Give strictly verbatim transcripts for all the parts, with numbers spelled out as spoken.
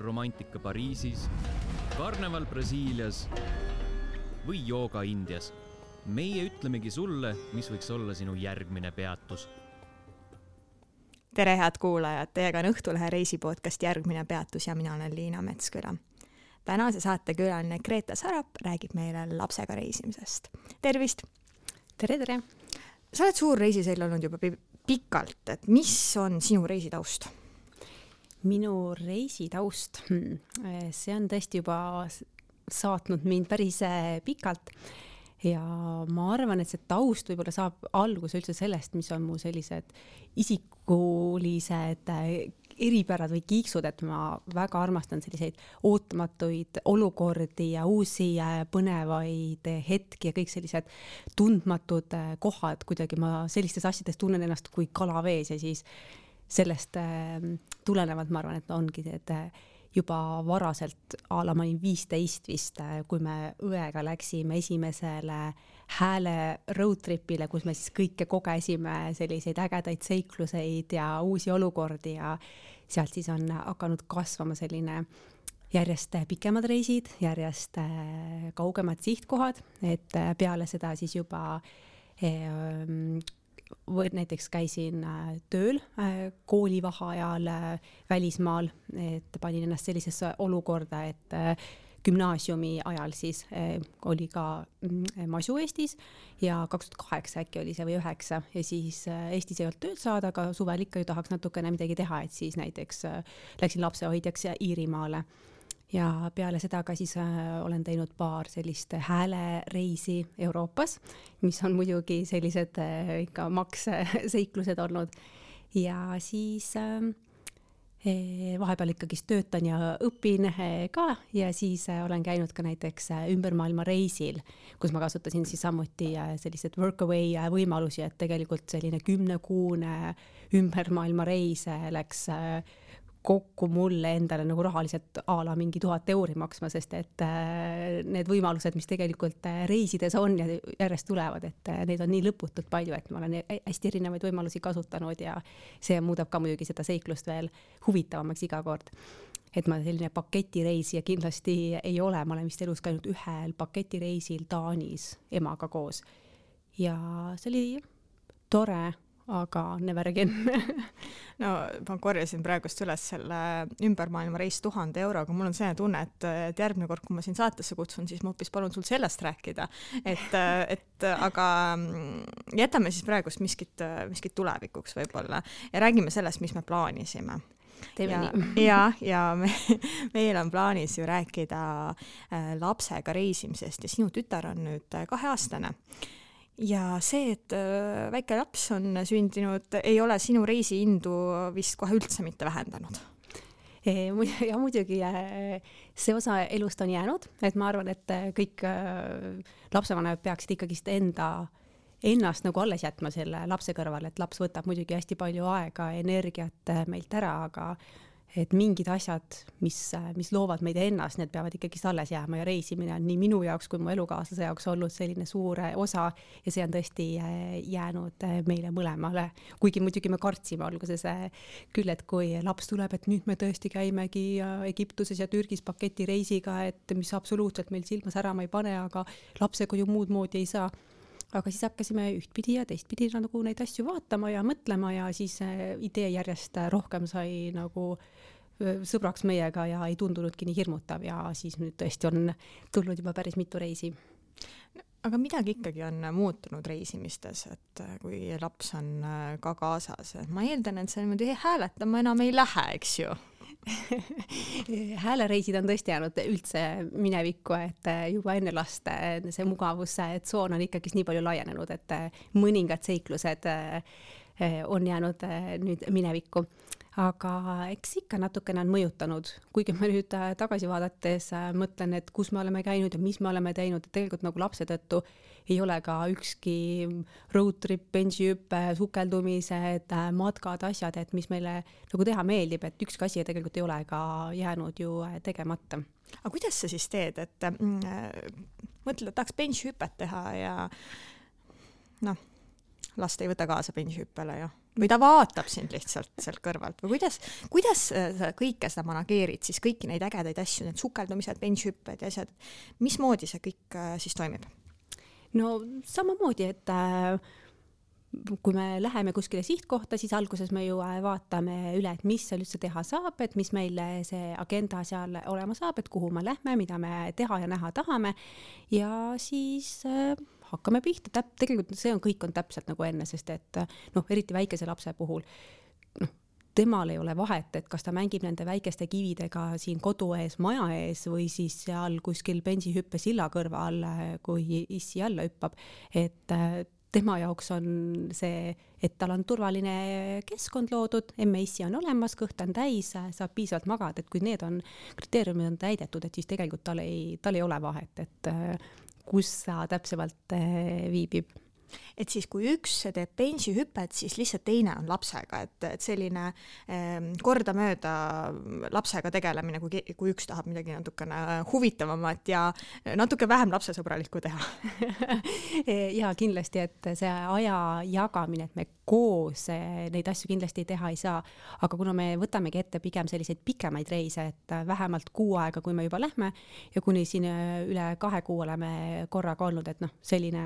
romantika Pariisis, karneval Brasiilias või jooga Indias. Meie ütlemegi sulle, mis võiks olla sinu järgmine peatus. Tere, head kuulajad! Teiega on Õhtulehe reisipodcast Järgmine peatus ja mina olen Liina Metsküla. Tänase saate külaline Greta Sarap räägib meile lapsega reisimisest. Tervist! Tere, tere! Sa oled suur reisisell olnud juba pikalt, et mis on sinu reisitaust? Minu reisitaust? See on tõesti juba saatnud mind päris pikalt. Ja ma arvan, et see taust võib-olla saab alguse üldse sellest, mis on mu sellised isikulised eripärad või kiiksud, et ma väga armastan selliseid ootamatuid olukordi ja uusi põnevaid hetki ja kõik sellised tundmatud kohad. Kuidagi ma sellistes asjades tunnen ennast kui kalavees ja siis sellest tulenevalt ma arvan, et ongi need juba varaselt ala ma olin viisteist vist, kui me õega läksime esimesele hääle roadtripile, kus me siis kõike kogesime selliseid ägedaid seikluseid ja uusi olukordi ja sealt siis on hakanud kasvama selline järjest pikemad reisid, järjest kaugemad sihtkohad, et peale seda siis juba või näiteks käisin tööl koolivaheajal välismaal, et panin ennast sellisesse olukorda, et gümnaasiumi ajal siis oli ka masu Eestis ja kaks tuhat kaheksa äkki oli see või üheksa ja siis Eestis ei olnud tööd saada, aga suvel ikka ju tahaks natukene midagi teha, et siis näiteks läksin lapsehoidjaks Iirimaale. Ja peale seda ka siis äh, olen teinud paar sellist häälereisi Euroopas, mis on muidugi sellised äh, ikka maksseiklused olnud. Ja siis äh, vahepeal ikkagi töötan ja õpin äh, ka ja siis äh, olen käinud ka näiteks äh, ümbermaailma reisil, kus ma kasutasin siis samuti äh, sellised workaway äh, võimalusi, et tegelikult selline kümnekuune ümbermaailma reis äh, läks äh, kokku mulle endale nagu rahaliselt aala mingi tuhat euri maksma, sest et need võimalused, mis tegelikult reisides on ja järjest tulevad, et neid on nii lõputult palju, et ma olen hästi erinevaid võimalusi kasutanud ja see muudab ka muidugi seda seiklust veel huvitavamaks iga kord. Et ma selline paketireisi ja kindlasti ei ole, ma olen vist elus käinud ühel paketireisil Taanis emaga koos ja see oli tore, aga never again. No, ma korjasin praegust üles selle ümbermaailma reis tuhande euroga. Mul on see tunne, et, et järgmine kord, kui ma siin saatesse kutsun, siis ma hoopis palun sul sellest rääkida. Et, et, aga jätame siis praegust miskit, miskit tulevikuks võib-olla ja räägime sellest, mis me plaanisime. Ja, ja, ja me, meil on plaanis ju rääkida lapsega reisimisest ja sinu tütar on nüüd kaheaastane. Ja see, et väike laps on sündinud, ei ole sinu reisiindu vist kohe üldse mitte vähendanud. Ja muidugi see osa elust on jäänud, et ma arvan, et kõik lapsevanemad peaksid ikkagi enda, ennast nagu alles jätma selle lapse kõrval, et laps võtab muidugi hästi palju aega, energiat meilt ära, aga et mingid asjad, mis, mis loovad meid ennast, need peavad ikkagi alles jääma ja reisimine on nii minu jaoks kui mu elukaaslase jaoks olnud selline suur osa ja see on tõesti jäänud meile mõlemale. Kuigi muidugi me kartsime alguses küll, et kui laps tuleb, et nüüd me tõesti käimegi Egiptuses ja Türgis paketireisiga, et mis absoluutselt meil silma särama ei pane, aga lapsega ju muud moodi ei saa. Aga siis hakkasime ühtpidi ja teistpidi nagu neid asju vaatama ja mõtlema ja siis idee järjest rohkem sai nagu sõbraks meiega ja ei tundunudki nii hirmutav ja siis nüüd tõesti on tulnud juba päris mitu reisi. Aga midagi ikkagi on muutunud reisimistes, et kui laps on ka kaasas. Ma eeldan, et see niimoodi hääletama enam ei lähe, eks ju? Häälereisid on tõesti jäänud üldse minevikku, et juba enne last see mugavuse tsoon on ikkagi nii palju laienenud, et mõningad seiklused on jäänud nüüd minevikku. Aga eks ikka natukene on mõjutanud, kuigi ma nüüd tagasi vaadates mõtlen, et kus me oleme käinud ja mis me oleme teinud, et tegelikult nagu lapse tõttu ei ole ka ükski road trip, bensihüppe, sukeldumised, matkad, asjad, et mis meile nagu teha meeldib, et ükski asi tegelikult ei ole ka jäänud ju tegemata. Aga kuidas sa siis teed, et mõtled, et tahaks bensihüpet teha ja noh, last ei võta kaasa bensihüppele ju? või ta vaatab sind lihtsalt sealt kõrvalt või kuidas, kuidas sa kõike seda manageerid, siis kõiki neid ägedaid asju, need sukeldumised, bensihüpped ja asjad, mismoodi see kõik siis toimib? No samamoodi, et äh, kui me läheme kuskile sihtkohta, siis alguses me ju vaatame üle, et mis seal üldse teha saab, et mis meil see agenda seal olema saab, et kuhu me lähme, mida me teha ja näha tahame ja siis äh, hakkame pihta. Täp, tegelikult see on, kõik on täpselt nagu enne, sest et noh, eriti väikese lapse puhul, noh, temal ei ole vahet, et kas ta mängib nende väikeste kividega siin kodu ees, maja ees või siis seal kuskil bensihüppe silla kõrval, kui issi alla hüppab, et äh, tema jaoks on see, et tal on turvaline keskkond loodud, emme issi on olemas, kõht on täis, saab piisavalt magada, et kui need on, kriteeriumid on täidetud, et siis tegelikult tal ei, tal ei ole vahet, et kus sa täpsemalt viibib. Et siis kui üks teeb bensihüpet, siis lihtsalt teine on lapsega, et, et selline eh, kordamööda lapsega tegelemine, kui, kui üks tahab midagi natukene huvitavamat ja natuke vähem lapsesõbralikku teha. Ja kindlasti, et see aja jagamine, et me koos neid asju kindlasti teha ei saa, aga kuna me võtamegi ette pigem selliseid pikemaid reise, et vähemalt kuu aega, kui me juba lähme ja kuni siin üle kahe kuu oleme korraga olnud, et noh, selline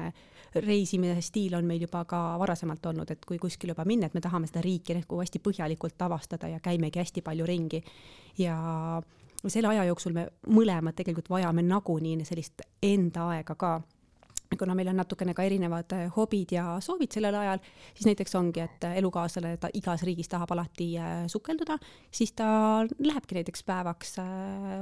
reisimine stiil on meil juba ka varasemalt olnud, et kui kuskil juba minna, et me tahame seda riiki nagu hästi põhjalikult avastada ja käimegi hästi palju ringi ja selle aja jooksul me mõlemad tegelikult vajame nagunii sellist enda aega ka. Kuna meil on natukene ka erinevad hobid ja soovid sellel ajal, siis näiteks ongi, et elukaaslane ta igas riigis tahab alati sukelduda, siis ta lähebki näiteks päevaks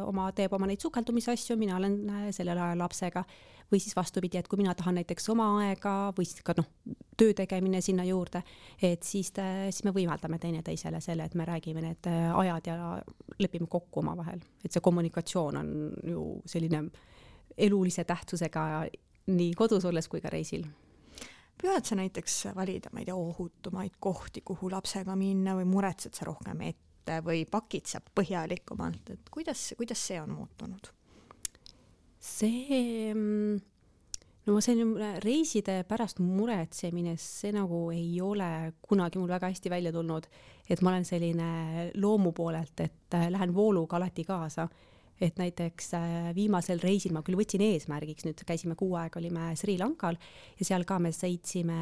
oma, teeb oma neid sukeldumisasju, mina olen sellel ajal lapsega või siis vastupidi, et kui mina tahan näiteks oma aega või siis ka noh, töö tegemine sinna juurde, et siis, siis me võimaldame teineteisele selle, et me räägime need ajad ja lepime kokku oma vahel. Et see kommunikatsioon on ju selline elulise tähtsusega nii kodus olles kui ka reisil. Püüad sa näiteks valida, ma ei tea, ohutumaid kohti, kuhu lapsega minna või muretsed sa rohkem ette või pakid sa põhjalikumalt, et kuidas, kuidas see on muutunud? See, no see reiside pärast muretsemine, see nagu ei ole kunagi mul väga hästi välja tulnud, et ma olen selline loomu poolelt, et lähen vooluga alati kaasa. Et näiteks viimasel reisil ma küll võtsin eesmärgiks, nüüd käisime kuu aega, olime Sri Lankal ja seal ka me sõitsime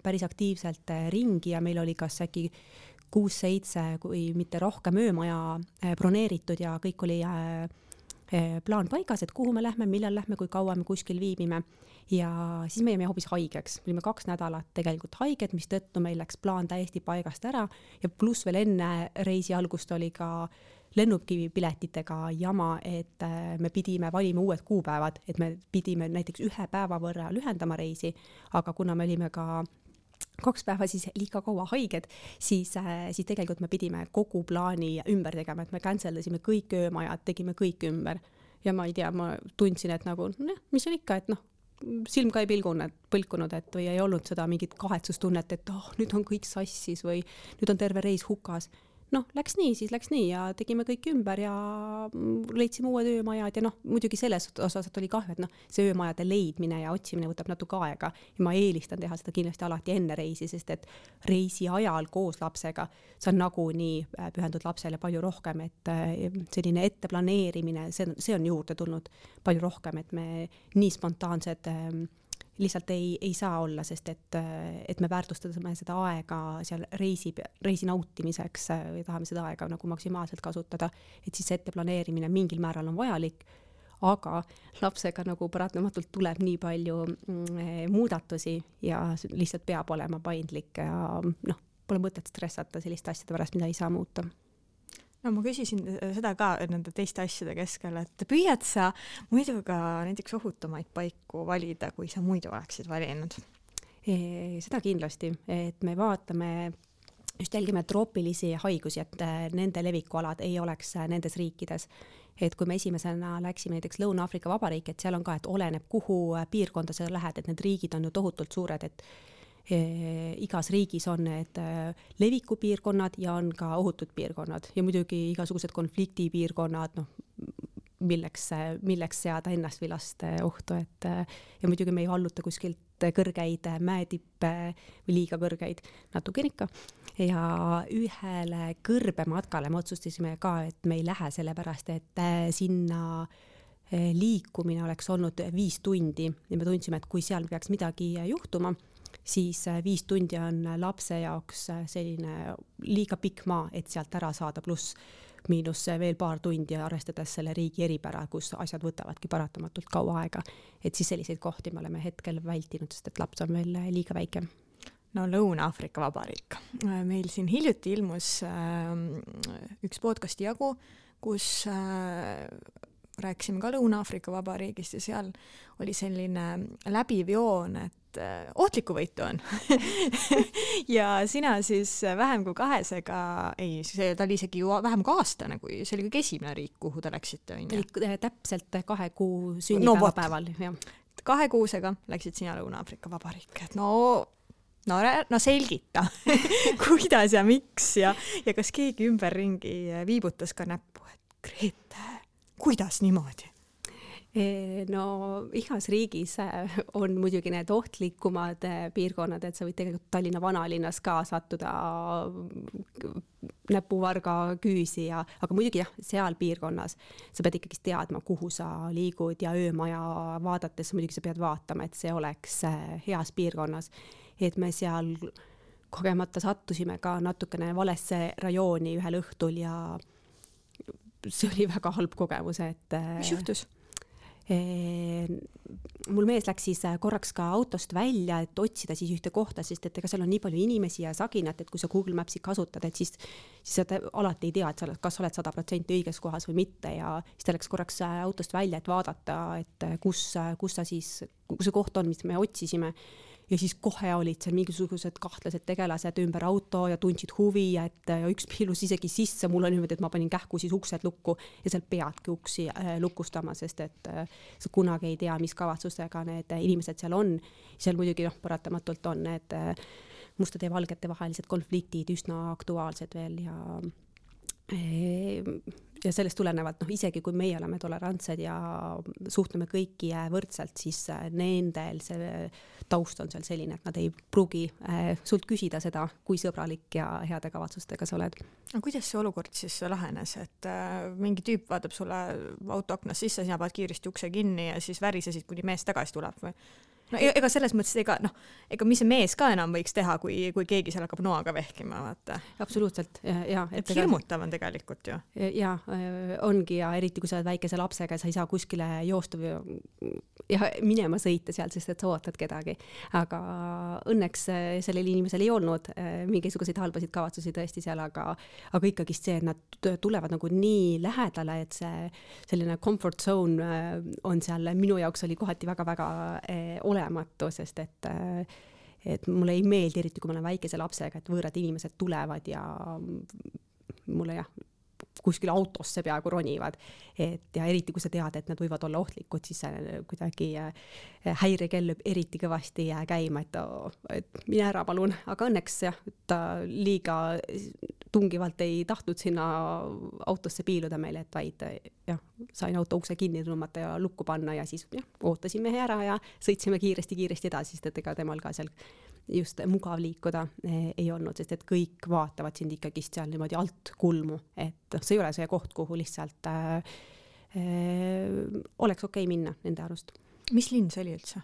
päris aktiivselt ringi ja meil oli kas äkki kuus-seitse, kui mitte rohkem öömaja broneeritud ja kõik oli plaan paigas, et kuhu me lähme, millal lähme, kui kaua me kuskil viibime ja siis me jäime hoopis haigeks. Me olime kaks nädalat tegelikult haiged, mis tõttu meil läks plaan täiesti paigast ära ja pluss veel enne reisi algust oli ka lennukipiletitega jama, et me pidime valima uued kuupäevad, et me pidime näiteks ühe päeva võrra lühendama reisi, aga kuna me olime ka kaks päeva siis liiga kaua haiged, siis, siis tegelikult me pidime kogu plaani ümber tegema, et me canceldasime kõik öömajad, tegime kõik ümber ja ma ei tea, ma tundsin, et nagu, noh, mis on ikka, et noh, silm ka ei pilgunud, põlkunud, et või ei olnud seda mingit kahetsustunnet, et oh, nüüd on kõik sassis või nüüd on terve reis hukas. Noh, läks nii, siis läks nii ja tegime kõik ümber ja leidsime uued öömajad ja noh, muidugi selles osas oli kahju, et noh, see öömajade leidmine ja otsimine võtab natuke aega ja ma eelistan teha seda kindlasti alati enne reisi, sest et reisi ajal koos lapsega sa nagu nii pühendud lapsele palju rohkem, et selline etteplaneerimine, see, see on juurde tulnud palju rohkem, et me nii spontaansed lihtsalt ei, ei saa olla, sest et, et me väärtustame seda aega seal reisi, reisi nautimiseks või tahame seda aega nagu maksimaalselt kasutada, et siis ette planeerimine mingil määral on vajalik, aga lapsega nagu paratamatult tuleb nii palju muudatusi ja lihtsalt peab olema paindlik ja noh, pole mõtet stressata selliste asjade pärast, mida ei saa muuta. No ma küsisin seda ka nende teiste asjade keskel, et püüad sa muidu ka näiteks ohutumaid paiku valida, kui sa muidu oleksid valinud? E, seda kindlasti, et me vaatame, just jälgime troopilisi haigusi, et nende levikualad ei oleks nendes riikides. Et kui me esimesena läksime näiteks Lõuna-Aafrika Vabariik, et seal on ka, et oleneb kuhu piirkonda sa lähed, et need riigid on ju tohutult suured, et igas riigis on need levikupiirkonnad ja on ka ohutud piirkonnad ja muidugi igasugused konfliktipiirkonnad, noh, milleks, milleks seada ennast või last ohtu, et ja muidugi me ei valluta kuskilt kõrgeid mäetippe või liiga kõrgeid, natuke ikka. Ja ühele kõrbematkale me otsustasime ka, et me ei lähe sellepärast, et sinna liikumine oleks olnud viis tundi ja me tundsime, et kui seal peaks midagi juhtuma, siis viis tundi on lapse jaoks selline liiga pikk maa, et sealt ära saada, pluss miinus veel paar tundi arvestades selle riigi eripära, kus asjad võtavadki paratamatult kaua aega. Et siis selliseid kohti me oleme hetkel vältinud, sest et laps on veel liiga väike. No Lõuna-Aafrika Vabariik. Meil siin hiljuti ilmus üks podcasti jagu, kus rääkisime ka Lõuna-Aafrika Vabariigist ja seal oli selline läbiv joon, et ohtlikku võitu on. ja sina siis vähem kui kahesega, ei, see, ta oli isegi ju vähem kui aastane, kui see oli kõige esimene riik, kuhu te läksite. Täpselt kahe kuu sünnipäeva no, päeval. Jah. Kahe kuusega läksid sina Lõuna-Aafrika Vabariik. No, no, no selgita, kuidas ja miks ja, ja kas keegi ümberringi viibutas ka näppu, et Grete, kuidas niimoodi? No igas riigis on muidugi need ohtlikumad piirkonnad, et sa võid tegelikult Tallinna vanalinnas ka sattuda näpuvarga küüsi, ja, aga muidugi jah, seal piirkonnas sa pead ikkagi teadma, kuhu sa liigud ja öömaja vaadates muidugi sa pead vaatama, et see oleks heas piirkonnas. Et me seal kogemata sattusime ka natukene valesse rajooni ühel õhtul ja see oli väga halb kogemus, et mis juhtus? Mul mees läks siis korraks ka autost välja, et otsida siis ühte kohta, sest et ega seal on nii palju inimesi ja saginat, et kui sa Google Mapsi kasutad, et siis, siis sa alati ei tea, et sa oled, kas oled sada protsenti õiges kohas või mitte, ja siis ta läks korraks autost välja, et vaadata, et kus, kus sa siis, kus see koht on, mis me otsisime. Ja siis kohe olid seal mingisugused kahtlased tegelased ümber auto ja tundsid huvi, et üks piilus isegi sisse, mul on niimoodi, et ma panin kähku siis uksed lukku ja seal peadki uksi lukustama, sest et sa kunagi ei tea, mis kavatsustega need inimesed seal on. Seal muidugi noh, paratamatult on need mustade ja valgete vahelised konfliktid üsna aktuaalsed veel ja ja sellest tulenevalt, noh, isegi kui meie oleme tolerantsed ja suhtume kõiki võrdselt, siis nendel see taust on seal selline, et nad ei pruugi sult küsida seda, kui sõbralik ja heade kavatsustega sa oled. No, kuidas see olukord siis lahenes, et mingi tüüp vaatab sulle autoaknas sisse, sina paned kiiresti ukse kinni ja siis värisesid, kuni mees tagasi tuleb või? No ega selles mõttes, ega, noh, ega mis see mees ka enam võiks teha, kui, kui keegi seal hakkab noaga vehkima, vaata. Absoluutselt, ja. Et hirmutav on tegelikult ju. Ja, ongi, ja eriti kui sa oled väikese lapsega, sa ei saa kuskile joosta või ja minema sõita seal, sest et sa ootad kedagi. Aga õnneks sellel inimesel ei olnud mingisuguseid halbasid kavatsusi tõesti seal, aga, aga ikkagi see, et nad tulevad nagu nii lähedale, et see selline comfort zone on seal, minu jaoks oli kohati väga-väga olematu, sest et, et mulle ei meeldi, eriti kui ma olen väikese lapsega, et võõrad inimesed tulevad ja mulle jah, kuskil autosse peaaegu ronivad. Et ja eriti kui sa tead, et nad võivad olla ohtlikud, siis kuidagi häirekell lööb eriti kõvasti käima, et, et mine ära palun. Aga õnneks jah, ta liiga tungivalt ei tahtnud sinna autosse piiluda meile, et vaid jah, sain auto ukse kinni tõmmata ja lukku panna ja siis jah, ootasime ära ja sõitsime kiiresti-kiiresti edasi, sest et ega temal ka seal just mugav liikuda ei olnud, sest et kõik vaatavad sind ikkagi seal niimoodi alt kulmu, et see ei ole see koht, kuhu lihtsalt äh, äh, oleks okei minna nende arust. Mis linn see oli üldse?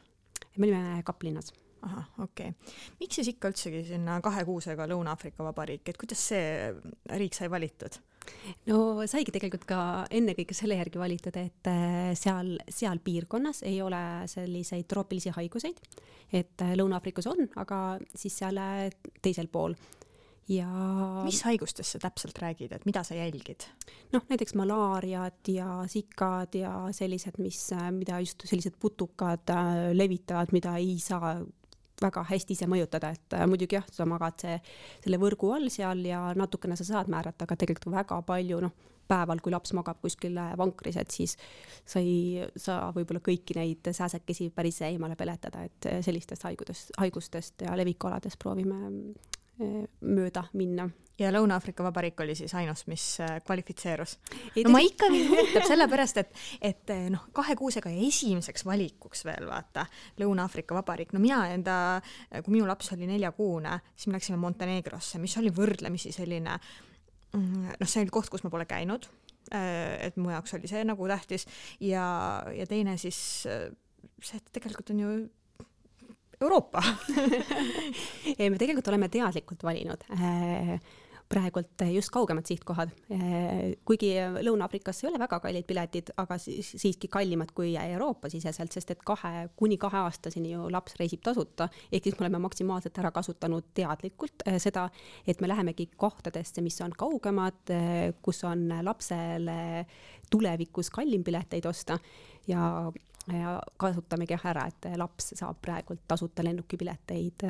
Me olime Kaplinnas. Aha, okei. Miks siis ikka üldsegi sinna kahe kuusega Lõuna-Aafrika Vabariik, et kuidas see riik sai valitud? No saigi tegelikult ka enne kõike selle järgi valitud, et seal, seal piirkonnas ei ole selliseid troopilisi haiguseid, et Lõuna-Aafrikas on, aga siis seal teisel pool. Ja mis haigustest sa täpselt räägid, et mida sa jälgid? Noh, näiteks malaariad ja sikad ja sellised, mis, mida just sellised putukad levitavad, mida ei saa väga hästi ise mõjutada, et muidugi jah, sa magad see, selle võrgu all seal ja natukene sa saad määrata, aga tegelikult väga palju, noh, päeval, kui laps magab kuskil vankris, et siis sa ei saa võib-olla kõiki neid sääsekesi päris eemale peletada, et sellistest haigudest, haigustest ja levikualadest proovime mööda minna. Ja Lõuna-Aafrika Vabariik oli siis ainus, mis kvalifitseerus. No ma ikka huvitab sellepärast, et, et noh, kahe kuusega ja esimeseks valikuks veel vaata Lõuna-Aafrika Vabariik. No mina enda, kui minu laps oli neljakuune, siis me läksime Montenegrosse, mis oli võrdlemisi selline, noh, see oli koht, kus ma pole käinud, et mu jaoks oli see nagu tähtis ja, ja teine siis see, et tegelikult on ju Euroopa. Me tegelikult oleme teadlikult valinud praegult just kaugemad sihtkohad. Kuigi Lõuna-Afrikasse ei ole väga kallid piletid, aga siiski kallimad kui Euroopa siseselt, sest et kahe, kuni kahe aastaseni ju laps reisib tasuta. Ehk siis me oleme maksimaalselt ära kasutanud teadlikult seda, et me lähemegi kohtadesse, mis on kaugemad, kus on lapsele tulevikus kallim pileteid osta ja ja kasutamegi ära, et laps saab praegult tasuta lennukipileteid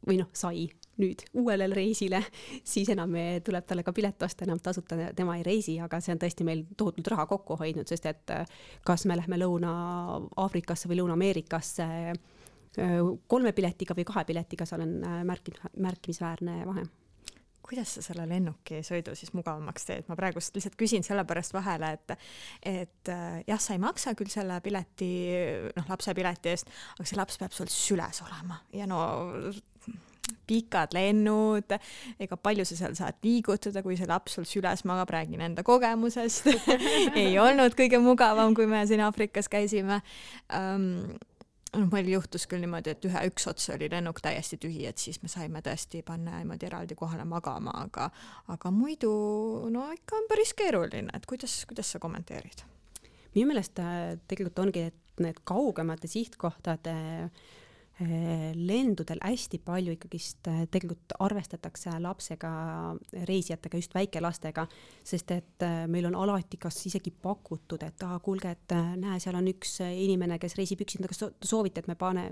või noh, sai nüüd uuele reisile, siis enam tuleb talle ka pilet osta, enam tasuta tema ei reisi, aga see on tõesti meil tohutult raha kokku hoidnud, sest et kas me lähme Lõuna-Aafrikasse või Lõuna-Ameerikasse kolme piletiga või kahe piletiga, seal on märkimisväärne vahe. Kuidas sa selle lennuki sõidu siis mugavamaks teed? Ma praegust lihtsalt küsin selle pärast vahele, et, et jah, sa ei maksa küll selle pileti, noh, lapse pileti eest, aga see laps peab sul süles olema. Ja no pikad lennud, ega palju sa seal saad liigutada, kui see laps sul süles magab, räägin enda kogemusest. Ei olnud kõige mugavam, kui me siin Aafrikas käisime. Um, No, meil juhtus küll niimoodi, et ühe üks ots oli lennuk täiesti tühi, et siis me saime tõesti panna niimoodi eraldi kohale magama, aga, aga muidu no ikka on päris keeruline, et kuidas, kuidas sa kommenteerid? Minu meelest tegelikult ongi, et need kaugemate sihtkohtade lendudel hästi palju ikkagist tegelikult arvestatakse lapsega, reisijatega, just väikelastega, sest et meil on alati kas isegi pakutud, et ah, kuulge, et näe, seal on üks inimene, kes reisib üksinda, kas soovite, et me pane,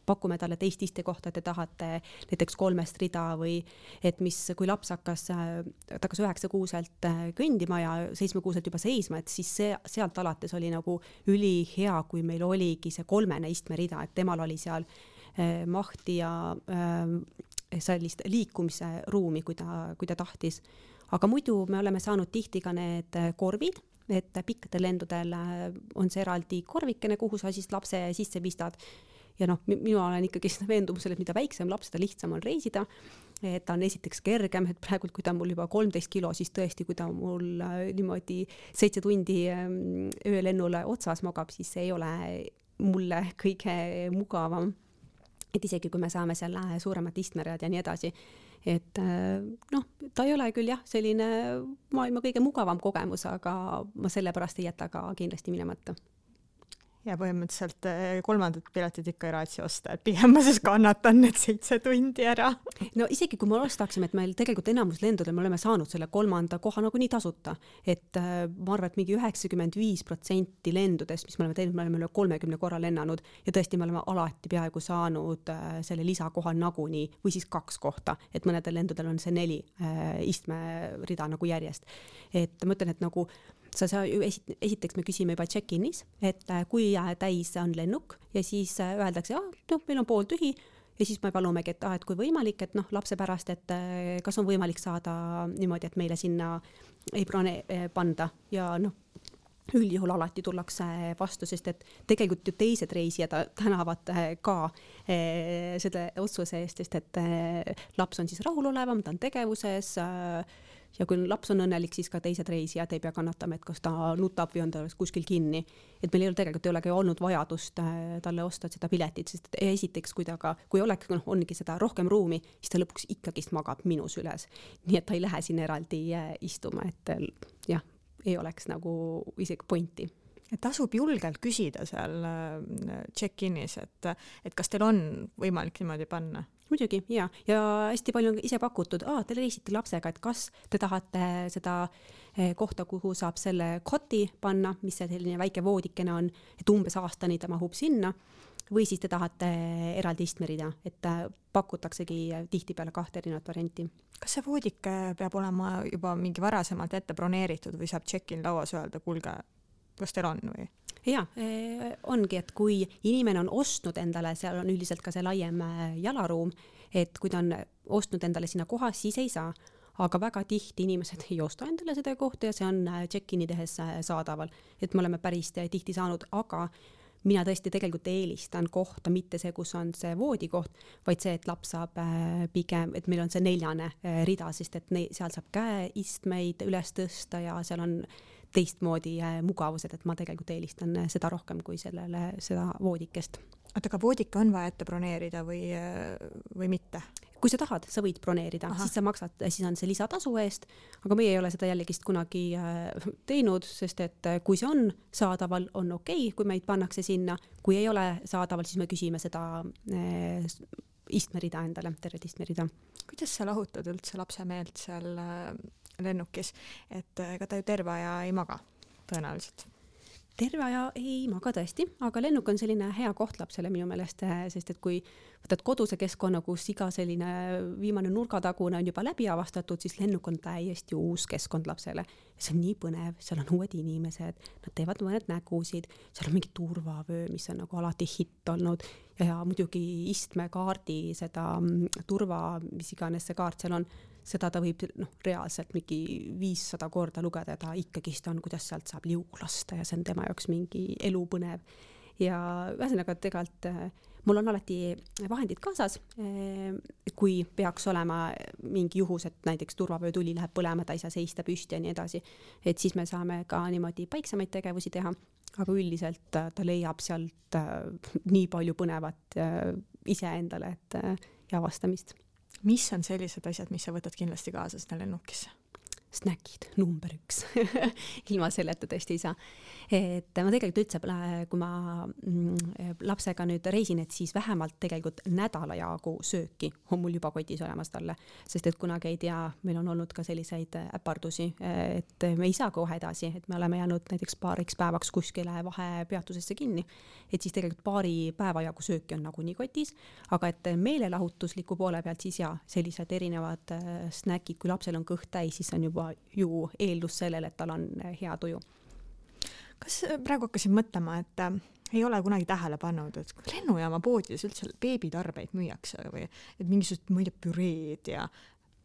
pakume talle teist istekohta, et te tahate näiteks kolmest rida või et mis, kui laps hakkas, ta hakkas üheksa kuuselt kõndima ja seitsme kuuselt juba seisma, et siis see, sealt alates oli nagu ülihea, kui meil oligi see kolmene istmerida, et temal oli seal mahti ja äh, sellist liikumise ruumi, kui ta, kui ta tahtis. Aga muidu me oleme saanud tihti ka need korvid, et pikkadel lendudel on see eraldi korvikene, kuhu sa siis lapse sisse pistad. Ja noh, mina olen ikkagi veendumusel, et mida väiksem laps, seda lihtsam on reisida. Et ta on esiteks kergem, et praegult, kui ta mul juba kolmteist kilo, siis tõesti, kui ta mul niimoodi seitse tundi öölennule otsas magab, siis see ei ole mulle kõige mugavam. Et isegi kui me saame selle suuremat istmerajad ja nii edasi, et noh, ta ei ole küll jah, selline maailma kõige mugavam kogemus, aga ma sellepärast ei jäta ka kindlasti minemata. Ja põhimõtteliselt kolmandat piletid ikka ei raatsi osta, et pigem ma siis kannatan need seitse tundi ära. No isegi kui me ostaksime, et meil tegelikult enamus lendudel me oleme saanud selle kolmanda koha nagu nii tasuta, et ma arvan, et mingi üheksakümmend viis protsenti lendudest, mis me oleme teinud, me oleme üle kolmekümne korra lennanud ja tõesti me oleme alati peaaegu saanud selle lisakoha naguni või siis kaks kohta, et mõnedel lendudel on see neli istmerida nagu järjest. Et ma ütlen, et nagu sa, sa esiteks me küsime juba check-inis, et kui täis on lennuk ja siis öeldakse, ah, noh, meil on pool tühi ja siis me palumegi, et, ah, et kui võimalik, et noh, lapse pärast, et kas on võimalik saada niimoodi, et meile sinna ei prone panda ja noh, üldjuhul alati tullakse vastu, sest et tegelikult ju teised reisijad tänavad ka selle otsuse eest, sest et laps on siis rahulolevam, ta on tegevuses ja kui laps on õnnelik, siis ka teised reisijad ei pea kannatama, et kas ta nutab või on ta kuskil kinni. Et meil ei ole tegelikult ei olegi olnud vajadust talle osta seda piletit, sest esiteks, kui, ta ka, kui oleks, no, ongi seda rohkem ruumi, siis ta lõpuks ikkagist magab minu süles. Nii et ta ei lähe siin eraldi istuma, et jah, ei oleks nagu isegi pointi. Et tasub julgelt küsida seal check-inis, et, et kas teil on võimalik niimoodi panna? Muidugi, ja. Ja hästi palju on ise pakutud, aa, te reisite lapsega, et kas te tahate seda kohta, kuhu saab selle koti panna, mis see selline väike voodikene on, et umbes aastani ta mahub sinna, või siis te tahate eraldi istmerida, et pakutaksegi tihti peale kahte erinevat varianti. Kas see voodik peab olema juba mingi varasemalt ette broneeritud või saab check-in lauas öelda, kuulge, kas teil on või? Ja, ongi, et kui inimene on ostnud endale, seal on üldiselt ka see laiem jalaruum, et kui ta on ostnud endale sinna koha, siis ei saa. Aga väga tihti inimesed ei osta endale seda kohta ja see on check-in'i tehes saadaval. Et me oleme päris tihti saanud, aga mina tõesti tegelikult eelistan kohta, mitte see, kus on see voodikoht, vaid see, et laps saab pigem, et meil on see neljane rida, sest et ne- seal saab käeistmeid üles tõsta ja seal on teistmoodi mugavused, et ma tegelikult eelistan seda rohkem kui sellele, seda voodikest. Oota, aga voodika on vaja ette broneerida või, või mitte? Kui sa tahad, sa võid broneerida, Aha. siis sa maksad, siis on see lisatasu eest, aga meie ei ole seda jällegist kunagi teinud, sest et kui see on saadaval, on okei, okay, kui meid pannakse sinna, kui ei ole saadaval, siis me küsime seda eh, istmerida endale, tervet istmerida. Kuidas sa lahutad üldse lapse meelt seal lennukis, et ega ta ju terve aja ei maga tõenäoliselt? Terve aja ei maga tõesti, aga lennuk on selline hea koht lapsele minu meelest, sest et kui võtad koduse keskkonna, kus iga selline viimane nurgatagune on juba läbi avastatud, siis lennuk on täiesti uus keskkond lapsele. See on nii põnev, seal on uued inimesed, nad teevad mõned nägusid, seal on mingi turvavöö, mis on nagu alati hitt olnud ja, ja muidugi istmekaardi seda turva, mis iganes see kaart seal on, seda ta võib noh, reaalselt mingi viissada korda lugeda ja ta ikkagist on, kuidas sealt saab liugu lasta ja see on tema jaoks mingi elupõnev. Ja ühesõnaga tegelikult mul on alati vahendid kaasas, kui peaks olema mingi juhus, et näiteks turvavöö tuli läheb põlema, ta ei saa seista püsti ja nii edasi, et siis me saame ka niimoodi paiksemaid tegevusi teha, aga üldiselt ta leiab sealt nii palju põnevat iseendale et, ja avastamist. Mis on sellised asjad, mis sa võtad kindlasti kaasa sinna lennukisse? Snäkid, number üks. Ilma selleta tõesti ei saa. Et ma tegelikult üldse, kui ma lapsega nüüd reisin, et siis vähemalt tegelikult nädala jagu sööki on mul juba kotis olemas talle. Sest et kunagi ei tea, meil on olnud ka selliseid äpardusi, et me ei saa kohe edasi, et me oleme jäänud näiteks paariks päevaks kuskile vahepeatusesse kinni. Et siis tegelikult paari päeva jagu sööki on nagu nii kotis, aga et meelelahutusliku poole pealt siis ja sellised erinevad snäkid, kui lapsel on kõht täis, siis on juba ju eeldus sellele, et tal on hea tuju. Kas praegu hakkasin mõtlema, et äh, ei ole kunagi tähele pannud, et lennujaama poodides üldse beebitarbeid müüakse või et mingisugused muide püreed ja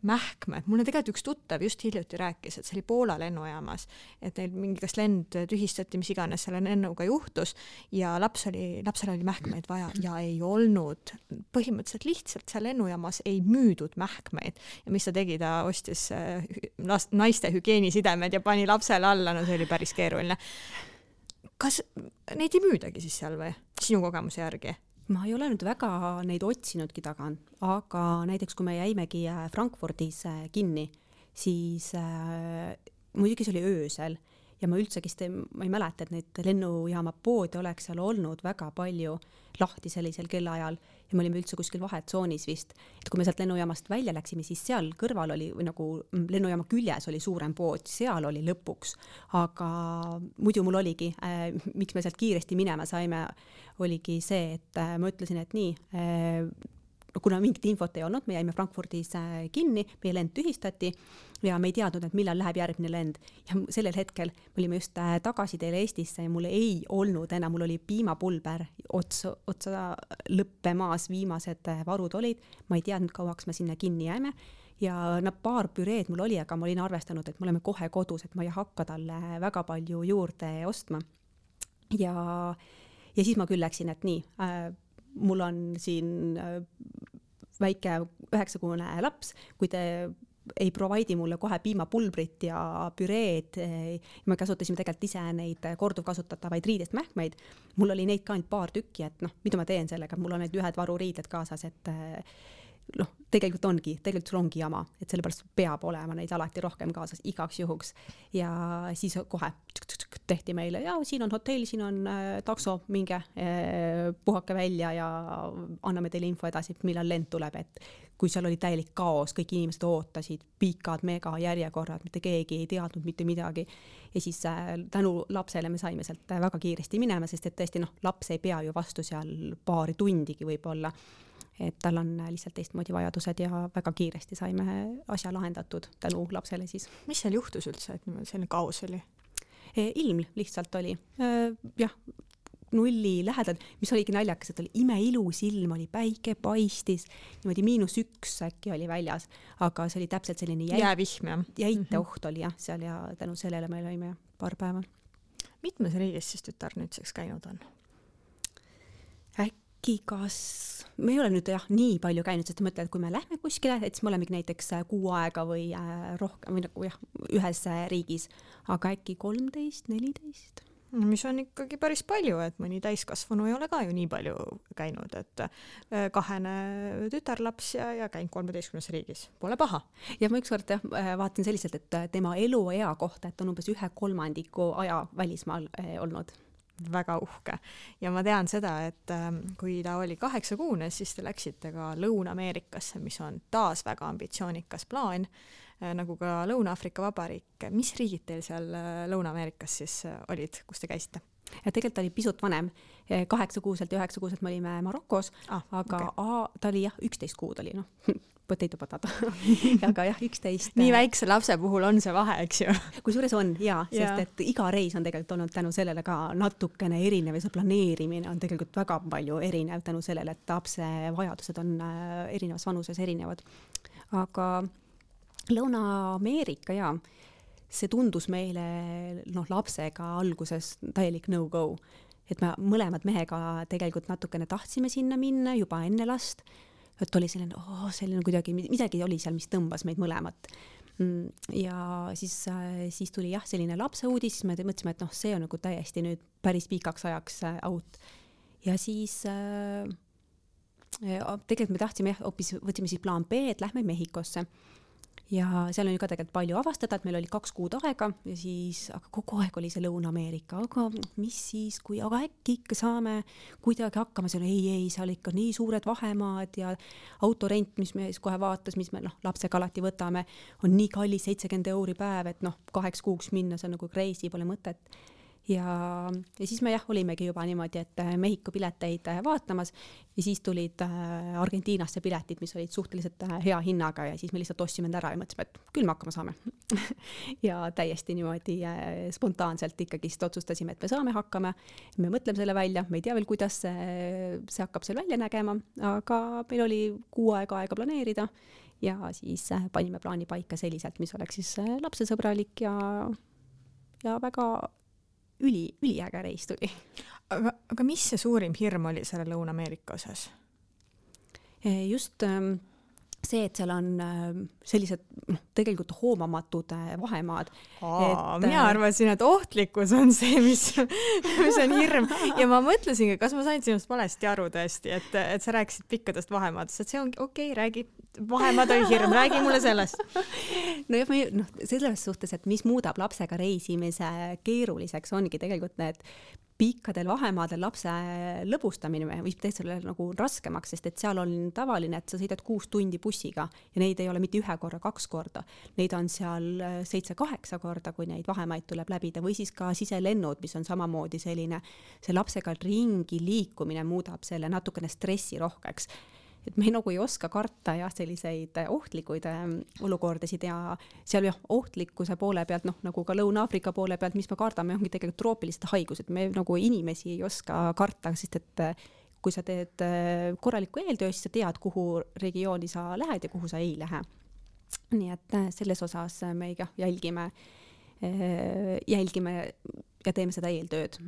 mähkmed. Mulle tegelikult üks tuttav just hiljuti rääkis, et see oli Poola lennujaamas, et neil mingi kas lend tühistati, mis iganes selle lennuga juhtus ja laps oli, lapsel oli mähkmeid vaja ja ei olnud. Põhimõtteliselt lihtsalt seal lennujaamas ei müüdud mähkmeid ja mis ta tegi, ta ostis naiste hügieenisidemed ja pani lapsele alla, no see oli päris keeruline. Kas neid ei müüdagi siis seal või sinu kogemuse järgi? Ma ei ole nüüd väga neid otsinudki tagan, aga näiteks kui me jäimegi Frankfurdis kinni, siis äh, muidugi see oli öösel ja ma üldsegist ei, ma ei mäleta, et neid lennujaama poode oleks seal olnud väga palju lahti sellisel kellaajal ja me olime üldse kuskil vahetzoonis vist. Et kui me sealt lennujaamast välja läksime, siis seal kõrval oli või nagu lennujaama küljes oli suurem pood, seal oli lõpuks, aga muidu mul oligi, äh, miks me sealt kiiresti minema saime, oligi see, et äh, ma ütlesin, et nii, äh, kuna mingit infot ei olnud, me jäime Frankfurdis kinni, meie lend tühistati ja me ei teadnud, et millal läheb järgmine lend. Ja sellel hetkel me olime just tagasi teile Eestisse ja mul ei olnud enam, mul oli piimapulber otsa, otsa lõppemaas, viimased varud olid. Ma ei teadnud, kauaks me sinna kinni jääme ja no, paar püreed mul oli, aga ma olin arvestanud, et me oleme kohe kodus, et ma ei hakka talle väga palju juurde ostma. Ja, ja siis ma küll läksin, et nii, äh, mul on siin väike üheksakuune laps, kui te ei provaidi mulle kohe piimapulbrit ja püreed, me kasutasime tegelikult ise neid korduvkasutatavaid riidest mähkmeid, mul oli neid ka ainult paar tükki, et noh, mida ma teen sellega, mul on need ühed varuriided kaasas, et noh, tegelikult ongi, tegelikult sul ongi jama, et sellepärast peab olema neid alati rohkem kaasas igaks juhuks ja siis kohe tehti meile ja siin on hotell, siin on äh, takso, minge äh, puhake välja ja anname teile info edasi, millal lend tuleb, et kui seal oli täielik kaos, kõik inimesed ootasid, pikad mega järjekorrad, mitte keegi ei teadnud mitte midagi ja siis äh, tänu lapsele me saime sealt väga kiiresti minema, sest et tõesti noh, laps ei pea ju vastu seal paari tundigi võib-olla, et tal on lihtsalt teistmoodi vajadused ja väga kiiresti saime asja lahendatud tänu lapsele siis. Mis seal juhtus üldse, et selline kaos oli? Ilm lihtsalt oli. Jah, nulli lähedal, mis oligi naljakas, et oli imeilus ilm, oli päike paistis, niimoodi miinus üks äkki oli väljas, aga see oli täpselt selline jäi... jäävihm, jah. jäite oht oli jah, seal ja tänu sellele me olime paar päeva. Mitmes riigis siis tütar nüüdseks käinud on? Äkki kas... Me ei ole nüüd jah nii palju käinud, sest mõtled, et kui me lähme kuskile, et siis me olemegi näiteks kuu aega või rohkem või nagu jah, ühes riigis, aga äkki kolmteist, neliteist. Mis on ikkagi päris palju, et mõni täiskasvanu ei ole ka ju nii palju käinud, et kahene tütarlaps ja, ja käinud kolmeteistkümnes riigis. Pole paha. Ja ma ükskord jah, vaatasin selliselt, et tema eluea kohta, et on umbes ühe kolmandiku aja välismaal olnud. Väga uhke. Ja ma tean seda, et kui ta oli kaheksakuune, siis te läksite ka Lõuna-Ameerikasse, mis on taas väga ambitsioonikas plaan, nagu ka Lõuna-Aafrika Vabariik. Mis riigid teil seal Lõuna-Ameerikas siis olid, kus te käisite? Ja tegelikult oli pisut vanem. Kaheksakuuselt ja üheksakuuselt me olime Marokos, ah, aga okay. a, ta oli jah, üksteist kuud oli, noh, potato potato. aga jah, üksteist. Nii väikse lapse puhul on see vahe, eks ju? Kui suures on, jaa, sest yeah. et iga reis on tegelikult olnud tänu sellele ka natukene erinev ja see planeerimine on tegelikult väga palju erinev tänu sellele, et lapse vajadused on erinevas vanuses erinevad. Aga Lõuna-Ameerika, jaa, see tundus meile noh, lapsega alguses täielik no-go. Et me mõlemad mehega tegelikult natukene tahtsime sinna minna juba enne last. Et oli selline, oh, selline kuidagi, midagi oli seal, mis tõmbas meid mõlemat. Ja siis, siis tuli jah, selline lapse uudis, siis me mõtlesime, et noh, see on nagu täiesti nüüd päris pikaks ajaks out. Ja siis äh, tegelikult me tahtsime, jah, hoopis võtsime siis plaan B, et lähme Mehhikosse. Ja seal on ju ka tegelikult palju avastada, et meil oli kaks kuud aega ja siis, aga kogu aeg oli see Lõuna-Ameerika, aga mis siis, kui, aga äkki ikka saame kuidagi hakkama, see on ei, ei, seal ikka nii suured vahemaad ja autorent, mis me kohe vaatas, mis me noh, lapsega alati võtame, on nii kallis seitsekümmend euri päev, et noh, kaheks kuuks minna, see on nagu crazy, pole mõtet. Ja, ja siis me jah, olimegi juba niimoodi, et Mehhiko pileteid vaatamas ja siis tulid Argentiinasse piletid, mis olid suhteliselt hea hinnaga ja siis me lihtsalt ostsime ära ja mõtlesime, et küll me hakkama saame. ja täiesti niimoodi spontaanselt ikkagi otsustasime, et me saame hakkama, me mõtleme selle välja, me ei tea veel, kuidas see, see hakkab seal välja nägema, aga meil oli kuu aega aega planeerida ja siis panime plaani paika selliselt, mis oleks siis lapsesõbralik ja, ja väga üli, üliäge reis tuli. Aga, aga mis see suurim hirm oli selle Lõuna-Ameerika osas? Just see, et seal on sellised tegelikult hoomamatud vahemaad. Aa, et, mina arvasin, et ohtlikkus on see, mis, mis on hirm. Ja ma mõtlesin, kas ma sain sinust valesti aru tõesti, et, et sa rääkisid pikkadest vahemaadest, et see on okei, okay, räägi, vahemaad oli hirm, räägi mulle sellest. No jah, no, selles suhtes, et mis muudab lapsega reisimise keeruliseks, ongi tegelikult need pikkadel vahemaadel lapse lõbustamine võib teha selle nagu raskemaks, sest et seal on tavaline, et sa sõidad kuus tundi bussiga ja neid ei ole mitte ühe korra, kaks korda. Neid on seal seitse-kaheksa korda, kui neid vahemaid tuleb läbida või siis ka siselennud, mis on samamoodi selline, see lapsega ringi liikumine muudab selle natukene stressi rohkeks. Et me nagu ei oska karta jah, selliseid ohtlikuid olukordasid ja seal jah, ohtlikkuse poole pealt, noh, nagu ka Lõuna-Aafrika poole pealt, mis me kardame, ongi tegelikult troopilised haigused. Me nagu inimesi ei oska karta, sest et kui sa teed korralikku eeltöö, siis sa tead, kuhu regiooni sa lähed ja kuhu sa ei lähe. Nii et selles osas me jah, jälgime, jälgime ja teeme seda eeltööd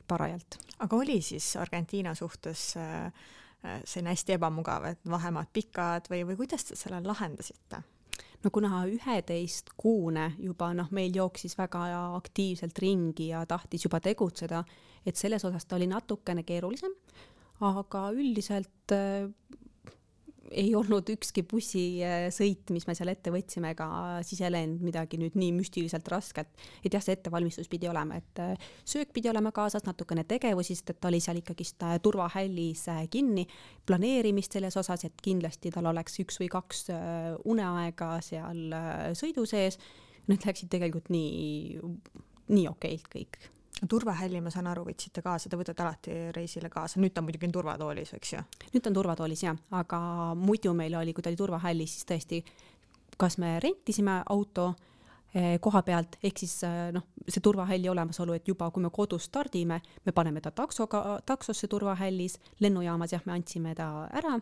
parajalt. Aga oli siis Argentiina suhtes see on hästi ebamugav, et vahemaad pikad või, või kuidas te selle lahendasite? No kuna üheteist kuune juba noh, meil jooksis väga aktiivselt ringi ja tahtis juba tegutseda, et selles osas ta oli natukene keerulisem, aga üldiselt äh, ei olnud ükski bussisõit, mis me seal ette võtsime, ega siselend midagi nüüd nii müstiliselt rasket. Et jah, see ettevalmistus pidi olema, et söök pidi olema kaasas, natukene tegevusi, sest et ta oli seal ikkagist turvahällis kinni, planeerimist selles osas, et kindlasti tal oleks üks või kaks uneaega seal sõidu sees. Need läksid tegelikult nii, nii okeilt kõik. Turvahälli, ma saan aru, võtsite kaasa, te võtate alati reisile kaasa. Nüüd ta muidugi on turvatoolis, eks ju? Nüüd on turvatoolis, jah. Aga muidu meil oli, kui ta oli turvahällis, siis tõesti, kas me rentisime auto koha pealt, ehk siis noh, see turvahälli olemasolu, et juba kui me kodus stardime, me paneme ta taksoga, taksosse turvahällis, lennujaamas jah, me andsime ta ära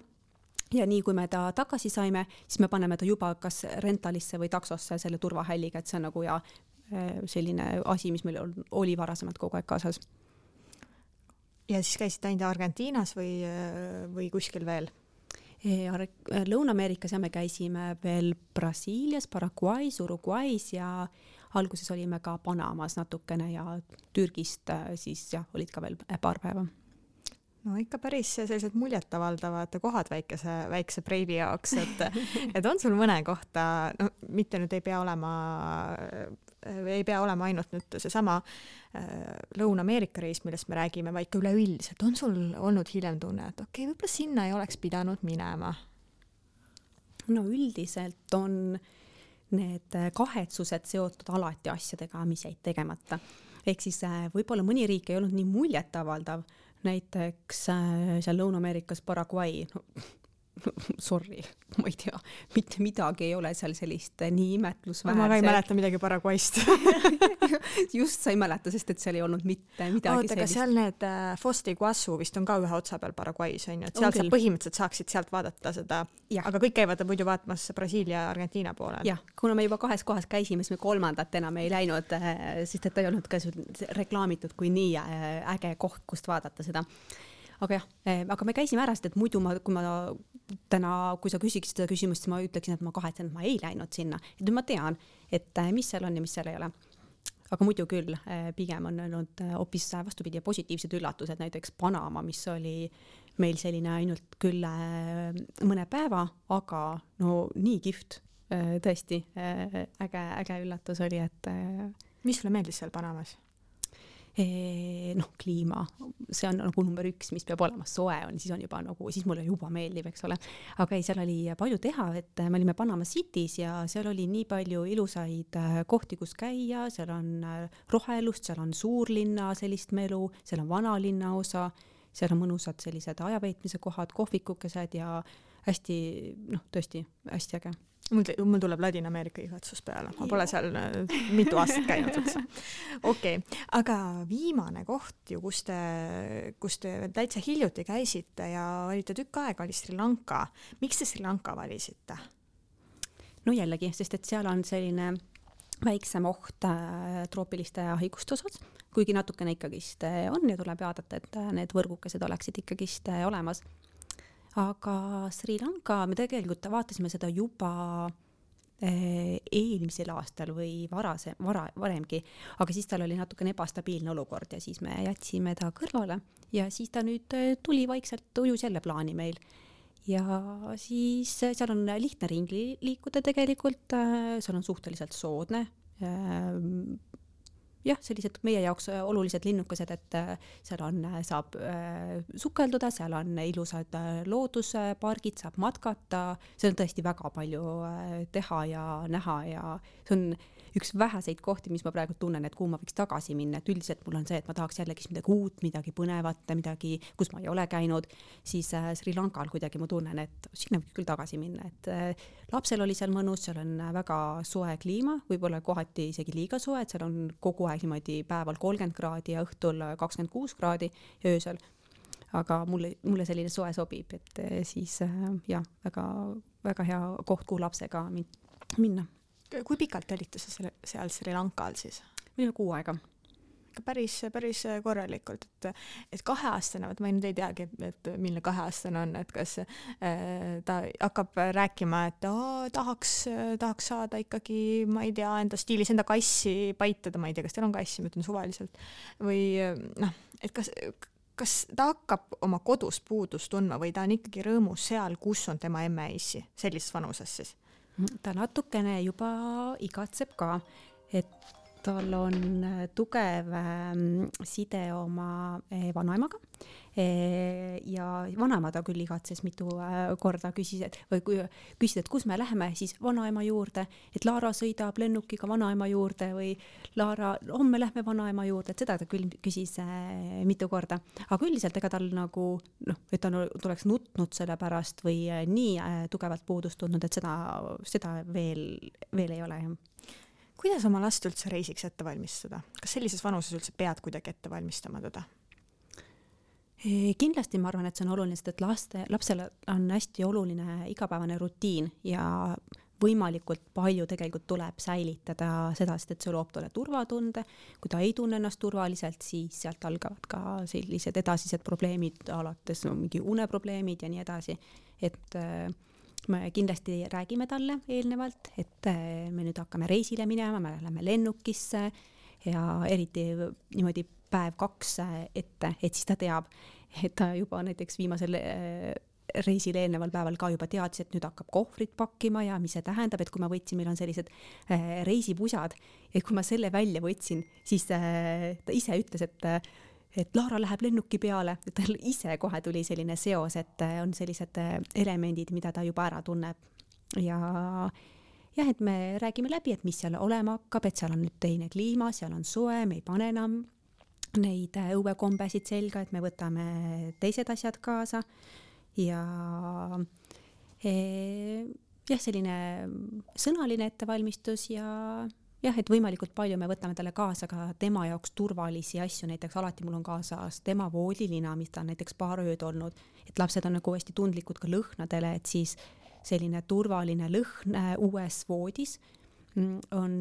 ja nii kui me ta tagasi saime, siis me paneme ta juba kas rentalisse või taksosse selle turvahälliga, et see on nagu ja selline asi, mis meil oli varasemalt kogu aeg kaasas. Ja siis käisid ainult Argentiinas või, või kuskil veel? Lõuna-Ameerikas ja me käisime veel Brasiilias, Paraguay's, Uruguay's ja alguses olime ka Panamas natukene ja Türgist siis jah, olid ka veel paar päeva. No ikka päris sellised muljetavaldavad kohad väikese, väikse breivi jaoks, et, et on sul mõne kohta, no mitte nüüd ei pea olema, ei pea olema ainult nüüd see sama Lõuna-Ameerika reis, millest me räägime, vaid ka üleüldiselt. On sul olnud hiljem tunne, et okei, okay, võib-olla sinna ei oleks pidanud minema? No üldiselt on need kahetsused seotud alati asjadega, mis jäid tegemata. Ehk siis võib-olla mõni riik ei olnud nii muljetavaldav, näiteks seal Lõuna-Ameerikas Paraguay, no, sorry, ma ei tea, mitte midagi ei ole seal sellist nii imetlusväärset. Ma ka ei mäleta midagi Paraguayst. Just sa ei mäleta, sest et seal ei olnud mitte midagi Oot, sellist. Aga seal need äh, Foz de Iguazu vist on ka ühe otsa peal Paraguay's, on ju, et sealt sa põhimõtteliselt saaksid sealt vaadata seda, ja. Aga kõik käivad muidu vaatamas Brasiilia ja Argentiina poolel. Jah, kuna me juba kahes kohas käisime, siis me kolmandat enam ei läinud, sest et ei olnud ka reklaamitud kui nii äge koht, kust vaadata seda. Aga jah, aga me käisime ära, sest et muidu ma, kui ma täna, kui sa küsiksid seda küsimust, siis ma ütleksin, et ma kahetsen, et ma ei läinud sinna. Et nüüd ma tean, et mis seal on ja mis seal ei ole. Aga muidu küll, pigem on olnud hoopis vastupidi ja positiivsed üllatused, näiteks Panama, mis oli meil selline ainult küll mõne päeva, aga no nii kihvt, tõesti äge, äge üllatus oli, et... Mis sulle meeldis seal Panamas? noh, kliima, see on nagu number üks, mis peab olema, soe on, siis on juba nagu, siis mulle juba meeldib, eks ole. Aga ei, seal oli palju teha, et me olime Panama City's ja seal oli nii palju ilusaid kohti, kus käia, seal on rohelust, seal on suurlinna sellist melu, seal on vanalinna osa, seal on mõnusad sellised ajaveetmise kohad, kohvikukesed ja hästi, noh, tõesti hästi äge. Mul, mul tuleb Ladina-Ameerika igatsus peale. Ma pole seal mitu aastat käinud üldse. Okei, okay. Aga viimane koht ju, kus te, kus te täitsa hiljuti käisite ja olite tükk aega, oli Sri Lanka. Miks te Sri Lanka valisite? No jällegi, sest et seal on selline väiksem oht troopiliste haiguste osas, kuigi natukene ikkagist on ja tuleb vaadata, et need võrgukesed oleksid ikkagist olemas. Aga Sri Lanka, me tegelikult vaatasime seda juba eelmisel aastal või varase, vara, varemgi, aga siis tal oli natukene ebastabiilne olukord ja siis me jätsime ta kõrvale ja siis ta nüüd tuli vaikselt ujus jälle plaani meil. Ja siis seal on lihtne ringi liikuda tegelikult, seal on suhteliselt soodne. Jah, sellised meie jaoks olulised linnukesed, et seal on, saab sukelduda, seal on ilusad looduspargid, saab matkata, see on tõesti väga palju teha ja näha ja see on üks väheseid kohti, mis ma praegu tunnen, et kuhu ma võiks tagasi minna, et üldiselt mul on see, et ma tahaks jällegi midagi uut, midagi põnevat, midagi, kus ma ei ole käinud, siis Sri Lankal kuidagi ma tunnen, et sinna võiks küll tagasi minna, et lapsel oli seal mõnus, seal on väga soe kliima, võib-olla kohati isegi liiga soe, et seal on kogu aeg niimoodi päeval kolmkümmend kraadi ja õhtul kakskümmend kuus kraadi öösel, aga mulle, mulle selline soe sobib, et siis jah, väga, väga hea koht, kuhu lapsega minna. Kui pikalt olite sa seal Sri Lankal siis? Minu kuu aega. Päris, päris korralikult, et, et kaheaastane, ma nüüd ei teagi, et milline kaheaastane on, et kas äh, ta hakkab rääkima, et oh, tahaks, tahaks saada ikkagi, ma ei tea, enda stiilis enda kassi paitada, ma ei tea, kas teil on kassi, ma ütlen suvaliselt, või noh, et kas, kas ta hakkab oma kodus puudust tundma või ta on ikkagi rõõmus seal, kus on tema emme-issi, sellises vanuses siis? Ta natukene juba igatseb ka, et tal on tugev side oma vanaemaga ja vanaema ta küll igatses mitu korda küsis, et, või küsis, et kus me läheme siis vanaema juurde, et Laara sõidab lennukiga vanaema juurde või Laara, homme lähme vanaema juurde, et seda ta küll küsis mitu korda. Aga üldiselt ega tal nagu, noh, et ta tuleks nutnud selle pärast või nii tugevalt puudust tundnud, et seda, seda veel, veel ei ole. kuidas oma last üldse reisiks ette valmistada? Kas sellises vanuses üldse pead kuidagi ette valmistama teda? Kindlasti ma arvan, et see on oluline, sest et laste, lapsele on hästi oluline igapäevane rutiin ja võimalikult palju tegelikult tuleb säilitada seda, sest et see loob talle turvatunde. Kui ta ei tunne ennast turvaliselt, siis sealt algavad ka sellised edasised probleemid, alates no, mingi uneprobleemid ja nii edasi. Et me kindlasti räägime talle eelnevalt, et me nüüd hakkame reisile minema, me läheme lennukisse ja eriti niimoodi päev kaks ette, et siis ta teab, et ta juba näiteks viimasel reisil eelneval päeval ka juba teadis, et nüüd hakkab kohvrit pakkima ja mis see tähendab, et kui ma võtsin, meil on sellised reisipusad, et kui ma selle välja võtsin, siis ta ise ütles, et, et Laara läheb lennuki peale, et tal ise kohe tuli selline seos, et on sellised elemendid, mida ta juba ära tunneb ja jah, et me räägime läbi, et mis seal olema hakkab, et seal on nüüd teine kliima, seal on soe, me ei pane enam neid õuekombesid selga, et me võtame teised asjad kaasa ja e, jah, selline sõnaline ettevalmistus ja jah, et võimalikult palju me võtame talle kaasa ka tema jaoks turvalisi asju, näiteks alati mul on kaasas tema voodilina, mis ta on näiteks paar ööd olnud, et lapsed on nagu hästi tundlikud ka lõhnadele, et siis selline turvaline lõhn uues voodis on,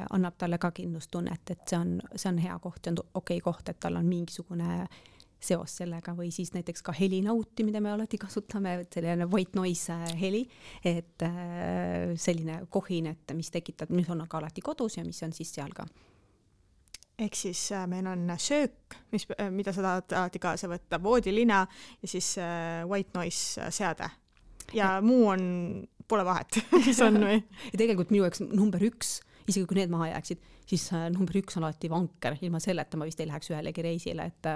annab talle ka kindlustunnet, et see on, see on hea koht, see on okei koht, et tal on mingisugune seos sellega või siis näiteks ka helinauti, mida me alati kasutame, selline white noise heli, et selline kohin, et mis tekitab, mis on ka alati kodus ja mis on siis seal ka. Ehk siis meil on söök, mis, mida sa tahad alati kaasa võtta, voodilina ja siis white noise seade. Ja muu on, pole vahet, mis on või? Ja tegelikult minu jaoks number üks, isegi kui need maha jääksid, siis number üks on alati vanker, ilma selleta ma vist ei läheks ühelegi reisile, et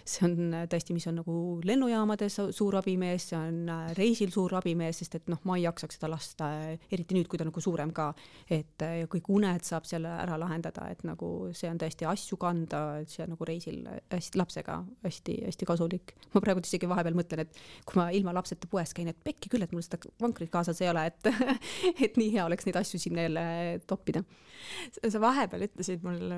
see on tõesti, mis on nagu lennujaamades suur abimees, see on reisil suur abimees, sest et noh, ma ei jaksaks seda lasta, eriti nüüd, kui ta nagu suurem ka, et kõik uned saab seal ära lahendada, et nagu see on tõesti asju kanda, et see on nagu reisil hästi lapsega hästi, hästi kasulik. Ma praegu isegi vahepeal mõtlen, et kui ma ilma lapseta poes käin, et pekki küll, et mul seda vankrit kaasas ei ole, et, et nii hea oleks neid asju siin jälle toppida. Sa vahepeal ütlesid mul,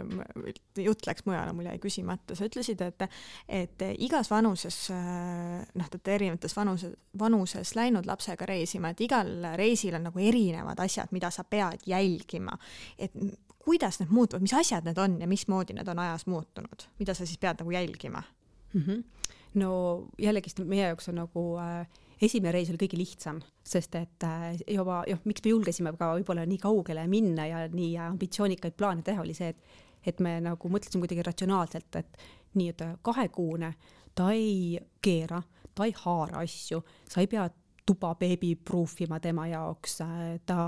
jutt läks mujale, mul jäi küsimata, sa ütlesid, et, et igas vanuses, noh, et erinevates vanuses, vanuses läinud lapsega reisima, et igal reisil on nagu erinevad asjad, mida sa pead jälgima, et kuidas need muutuvad, mis asjad need on ja mismoodi need on ajas muutunud, mida sa siis pead nagu jälgima? Mm-hmm. No jällegi meie jaoks on nagu äh, esimene reis oli kõige lihtsam, sest et juba, joh, miks me julgesime ka võib-olla nii kaugele minna ja nii ambitsioonikaid plaane teha, oli see, et, et me nagu mõtlesime kuidagi ratsionaalselt, et nii, et kahekuune, ta ei keera, ta ei haara asju, sa ei pea tuba beebi proofima tema jaoks, ta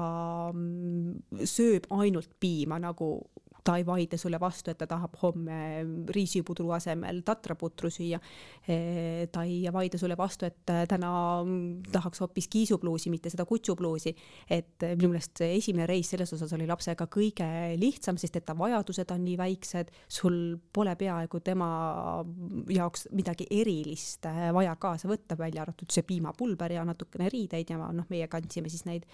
sööb ainult piima, nagu ta ei vaide sulle vastu, et ta tahab homme riisipudru asemel tatraputru süüa. Ta ei vaide sulle vastu, et täna tahaks hoopis kiisupluusi, mitte seda kutsupluusi. Et minu meelest esimene reis selles osas oli lapsega kõige lihtsam, sest et ta vajadused on nii väiksed, sul pole peaaegu tema jaoks midagi erilist vaja kaasa võtta, välja arvatud see piimapulber ja natukene riideid ja noh, meie kandsime siis neid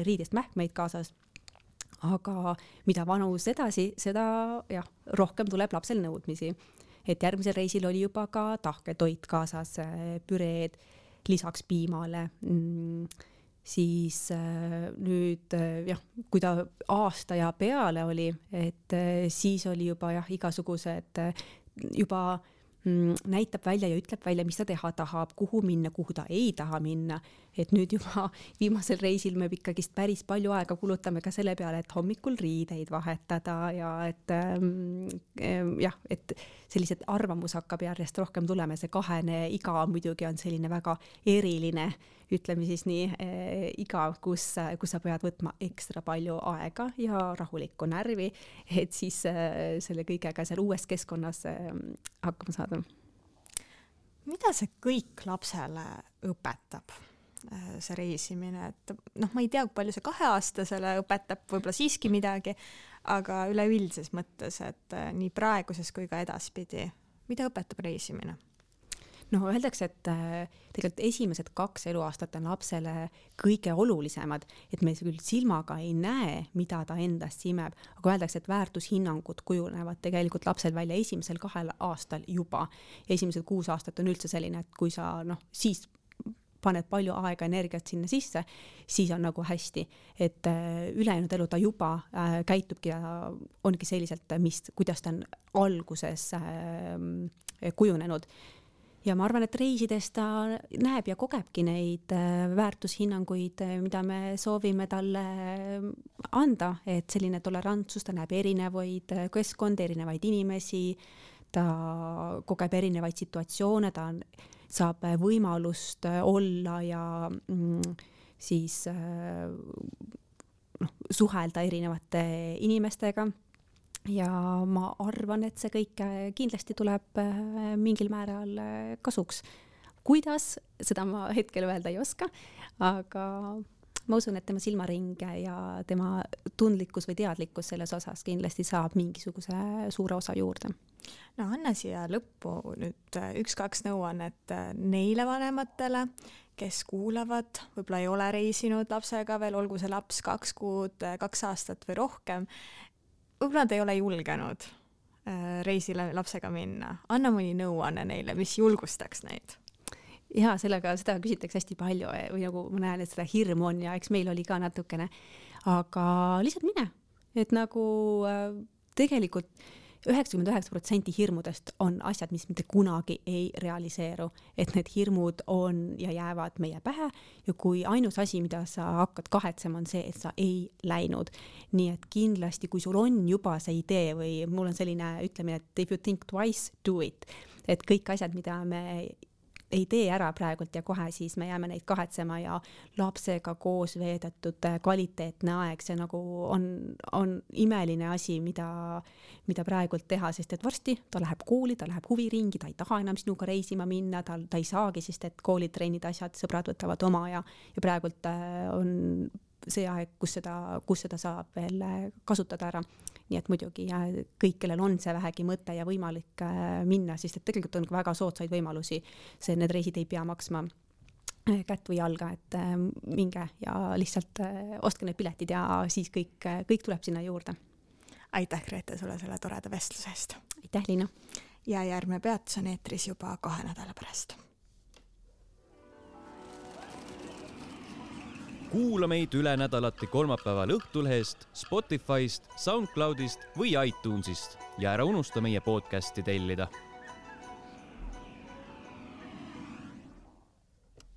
riidest mähkmeid kaasas. Aga mida vanus edasi, seda jah, rohkem tuleb lapsel nõudmisi. Et järgmisel reisil oli juba ka tahketoit kaasas, püreed, lisaks piimale. Siis nüüd, jah, kui ta aasta ja peale oli, et siis oli juba jah, igasugused juba näitab välja ja ütleb välja, mis ta teha tahab, kuhu minna, kuhu ta ei taha minna. Et nüüd juba viimasel reisil me ikkagist päris palju aega kulutame ka selle peale, et hommikul riideid vahetada ja et ähm, jah, et sellised arvamus hakkab järjest rohkem tulema. See kahene iga muidugi on selline väga eriline, ütleme siis nii, äh, iga, kus, kus sa pead võtma ekstra palju aega ja rahulikku närvi, et siis äh, selle kõigega seal uues keskkonnas äh, hakkama saada. Mida see kõik lapsele õpetab, see reisimine, et noh, ma ei tea, palju see kaheaastasele õpetab, võib-olla siiski midagi, aga üleüldises mõttes, et nii praeguses kui ka edaspidi, mida õpetab reisimine? no öeldakse, et tegelikult esimesed kaks eluaastat on lapsele kõige olulisemad, et me küll silmaga ei näe, mida ta endast imeb, aga öeldakse, et väärtushinnangud kujunevad tegelikult lapsel välja esimesel kahel aastal juba. Esimesed kuus aastat on üldse selline, et kui sa noh, siis paned palju aega, energiat sinna sisse, siis on nagu hästi, et ülejäänud elu ta juba äh, käitubki ja ongi selliselt, mis, kuidas ta on alguses äh, kujunenud. Ja ma arvan, et reisides ta näeb ja kogebki neid väärtushinnanguid, mida me soovime talle anda, et selline tolerantsus, ta näeb erinevaid keskkonda, erinevaid inimesi, ta kogeb erinevaid situatsioone, ta on, saab võimalust olla ja mm, siis noh, suhelda erinevate inimestega. Ja ma arvan, et see kõik kindlasti tuleb mingil määral kasuks. Kuidas, seda ma hetkel öelda ei oska, aga ma usun, et tema silmaring ja tema tundlikkus või teadlikkus selles osas kindlasti saab mingisuguse suure osa juurde. No anna siia lõppu nüüd üks-kaks nõuannet neile vanematele, kes kuulavad, võib-olla ei ole reisinud lapsega veel, olgu see laps kaks kuud, kaks aastat või rohkem, võib-olla nad ei ole julgenud reisile lapsega minna. Anna mõni nõuanne neile, mis julgustaks neid. Ja sellega seda küsitakse hästi palju või nagu ma näen, et seda hirmu on ja eks meil oli ka natukene, aga lihtsalt mine, et nagu tegelikult üheksakümmend üheksa protsenti hirmudest on asjad, mis mitte kunagi ei realiseeru, et need hirmud on ja jäävad meie pähe ja kui ainus asi, mida sa hakkad kahetsema, on see, et sa ei läinud. Nii et kindlasti, kui sul on juba see idee või mul on selline ütlemine, et if you think twice, do it. Et kõik asjad, mida me ei tee ära praegult ja kohe siis me jääme neid kahetsema ja lapsega koos veedetud kvaliteetne aeg, see nagu on, on imeline asi, mida, mida praegult teha, sest et varsti ta läheb kooli, ta läheb huviringi, ta ei taha enam sinuga reisima minna, ta, ta ei saagi, sest et koolid, trennid, asjad, sõbrad võtavad oma ja, ja praegult on see aeg, kus seda, kus seda saab veel kasutada ära. Nii et muidugi ja kõik, kellel on see vähegi mõte ja võimalik minna, sest et tegelikult on väga soodsaid võimalusi. See, need reisid ei pea maksma kätt või jalga, et minge ja lihtsalt ostke need piletid ja siis kõik, kõik tuleb sinna juurde. Aitäh, Grete, sulle selle toreda vestlusest. Aitäh, Liina. Ja järgmine peatus on eetris juba kahe nädala pärast. Kuula meid üle nädalati kolmapäeval Õhtulehest, Spotify'st, SoundCloud'ist või iTunes'ist ja ära unusta meie podcasti tellida.